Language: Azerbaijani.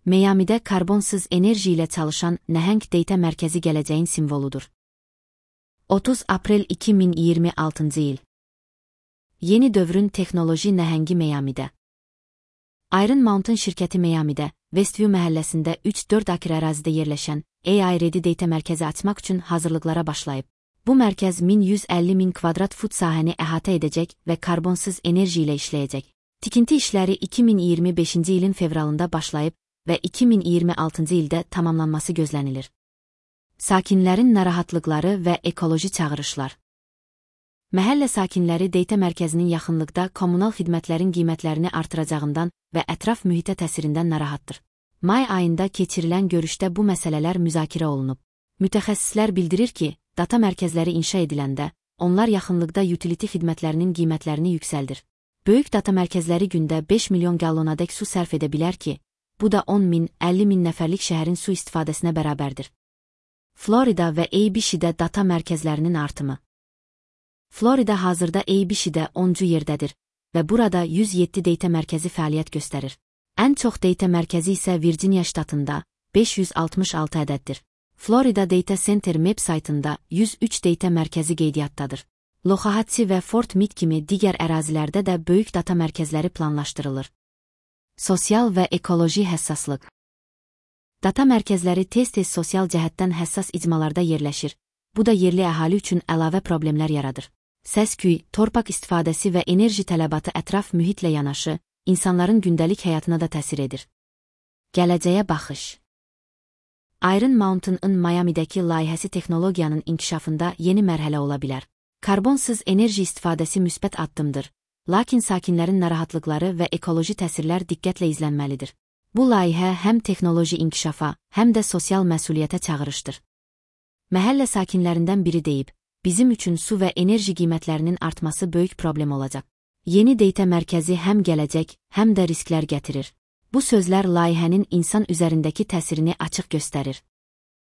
Miami'də karbonsuz enerji ilə çalışan nəhəng data mərkəzi gələcəyin simvoludur. 30 aprel 2026 il. Yeni dövrün texnoloji nəhəngi Miami'də. Iron Mountain şirkəti Miami'də, Westview məhəlləsində 3-4 akre ərazidə yerləşən AI Ready Data mərkəzi açmaq üçün hazırlıqlara başlayıb. Bu mərkəz 1150.000 kvadrat fut sahəni əhatə edəcək və karbonsuz enerji ilə işləyəcək. Tikinti işləri 2025-ci ilin fevralında başlayıb və 2026-cı ildə tamamlanması gözlənilir. Sakinlərin narahatlıqları və ekoloji çağırışlar. Məhəllə sakinləri data mərkəzinin yaxınlıqda kommunal xidmətlərin qiymətlərini artıracağından və ətraf mühitə təsirindən narahatdır. May ayında keçirilən görüşdə bu məsələlər müzakirə olunub. Mütəxəssislər bildirir ki, data mərkəzləri inşa ediləndə, onlar yaxınlıqda utility xidmətlərinin qiymətlərini yüksəldir. Böyük data mərkəzləri gündə 5 milyon qallonadək su sərf edə bilər ki, bu da 10.000, 50.000 nəfərlik şəhərin su istifadəsinə bərabərdir. Florida və ABC-də data mərkəzlərinin artımı. Florida hazırda ABC-də 10-cu yerdədir və burada 107 data mərkəzi fəaliyyət göstərir. Ən çox data mərkəzi isə Virginia ştatında 566 ədəddir. Florida Data Center web saytında 103 data mərkəzi qeydiyyatdadır. Loxahatsi və Fort Meade kimi digər ərazilərdə də böyük data mərkəzləri planlaşdırılır. Sosial və ekoloji həssaslıq. Data mərkəzləri tez-tez sosial cəhətdən həssas icmalarda yerləşir. Bu da yerli əhali üçün əlavə problemlər yaradır. Səs-küy, torpaq istifadəsi və enerji tələbatı ətraf mühitlə yanaşı, insanların gündəlik həyatına da təsir edir. Gələcəyə baxış. Iron Mountain-ın Miami'dəki layihəsi texnologiyanın inkişafında yeni mərhələ ola bilər. Karbonsuz enerji istifadəsi müsbət addımdır, lakin sakinlərin narahatlıqları və ekoloji təsirlər diqqətlə izlənməlidir. Bu layihə həm texnoloji inkişafa, həm də sosial məsuliyyətə çağırışdır. Məhəllə sakinlərindən biri deyib, bizim üçün su və enerji qiymətlərinin artması böyük problem olacaq. Yeni data mərkəzi həm gələcək, həm də risklər gətirir. Bu sözlər layihənin insan üzərindəki təsirini açıq göstərir.